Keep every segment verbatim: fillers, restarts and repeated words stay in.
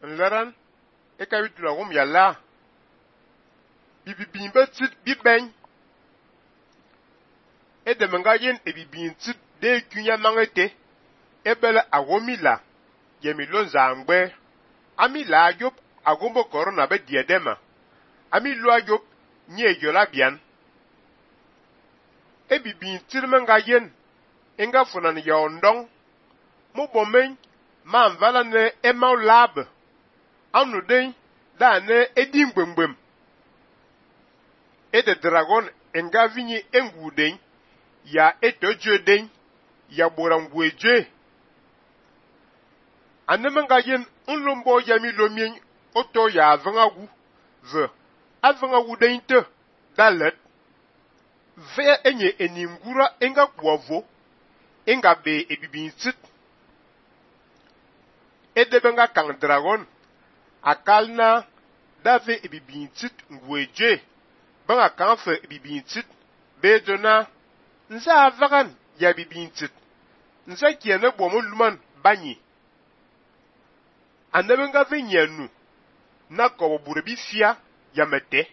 nleran e ka bitula gum ya la bibibin betit biben e de menga yen e bibin tit de kunya mangete e bele agomila yemi lonza ngbe ami la yop agombo corona be diedema ami lo yop nye yola bian e bibin tit menga yen enga funan ya ondong mo bomen ma mvala ne e ma lab anu den da ne edim gbemgbem e de dragon enga vinyi engu den ya etojo den ya borangweje anemenga yen unlombo yami lomien oto ya avangagu ze avangagu den te dalet ve enye eningura enga kwavo enga be ebibin sit edebenga kang dragon akalna dave ebibin sit ngweje banga kanfe ebibin sit bedona nza avagan ya bibin sit nza kiene bomo luman banyi anebenga venyanu na kobo burebi fia ya mete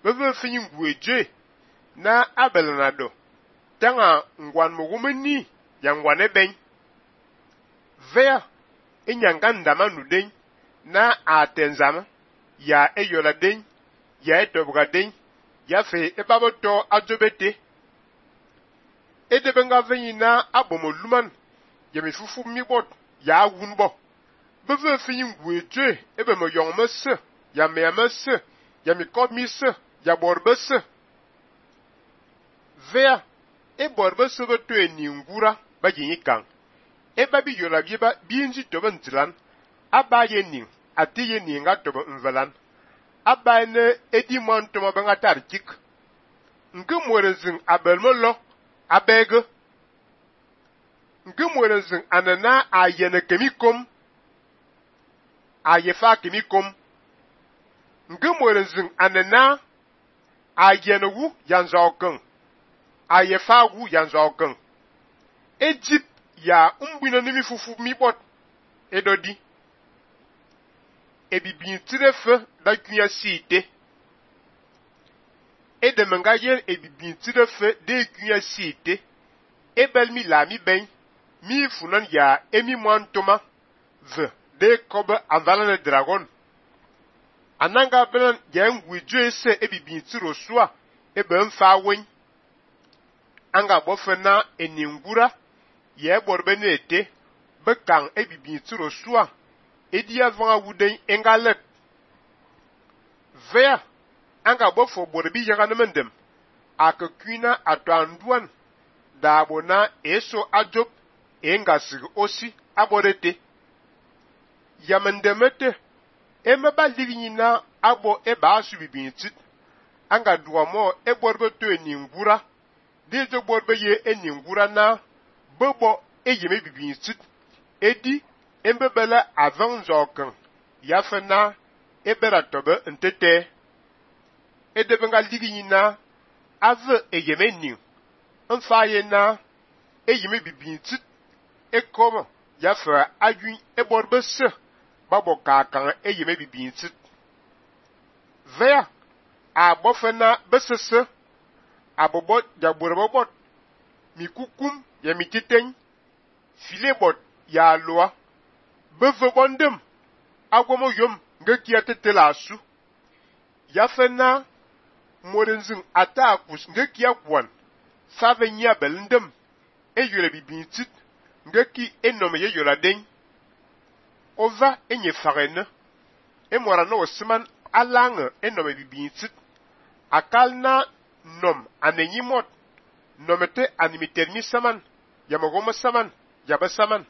beve finyi ngweje na abelanado tanga ngwan mogumeni ya ngwane ben vea enyanga ndama nuden na atenzama ya eyola den ya etobga den ya fe ebaboto adobete edebenga venyi na abomoluman ya mifufu mibot ya wunbo beve finyi ngweje ebe mo yongmese ya meyamese ya mikodmise ya borbese vea e borbese beto eningura ba yinyi kang e babi yola biba bienji tobe ntilan aba ye ning ati ye ninga tobe nvelan aba ne edi montoma banga tarkik nke mwerezin abelmolo abege nke mwerezin anana ayene kemikom ayefa kemikom nke mwerezin anana ayenewu yanzokeng ayefa wu yanzokeng ejip ya umbina nimi fufu mibot edodi ebibin tirefe da kunya site edemenga yen ebibin tirefe de kunya site ebel mi la mi ben mi funan ya emi mwantoma ve de kobe avalane dragon ananga belan ya ngwiju ese ebibin tiro sua ebe mfa wen anga bofena eningura ye borbe nete bekang ebibin tiro sua edi avanga wuden engalet vea anga bofo borbi yaga nemendem akakuna atwanduan dabona eso ajob engasig osi aborete yamendemete emeba liginyina abo eba subibin tit anga duamo e borbe to eningura dejo borbe ye eningura na bobo eyeme bibin tit edi embebele avan zoken yafena ebera tobe ntete edebenga liginyina ave eyeme ning mfaye na eyeme bibin tit ekomo yafa ayun eborbe se babo kakan eyeme bibin tit vea abofena besese abobot jaburebobot mikukum ya mititen filebot ya loa beve bondem agwomo yom ngekia tetela asu yafena morenzin atakus ngekia kwan save nya belendem eyole bibin tit ngeki enome ye yola den ova enye farene emora no osman alange enome bibin tit akalna nom anenyi mot nomete animitermi saman yamagomo saman yabesama yafena morenzin atakus ngekia kwan save nya belendem eyole bibin tit ngeki enome ye yola den ova enye farene emora no osman alange enome bibin tit akalna nom anenyi mot nomete animitermi saman yamagomo saman yabesama yafena morenzin atakus ngekia kwan save nya belendem eyole bibin tit ngeki enome ye yola den ova enye farene emora no osman alange enome bibin tit akalna nom anenyi mot nomete animitermi saman yamagomo saman yabesama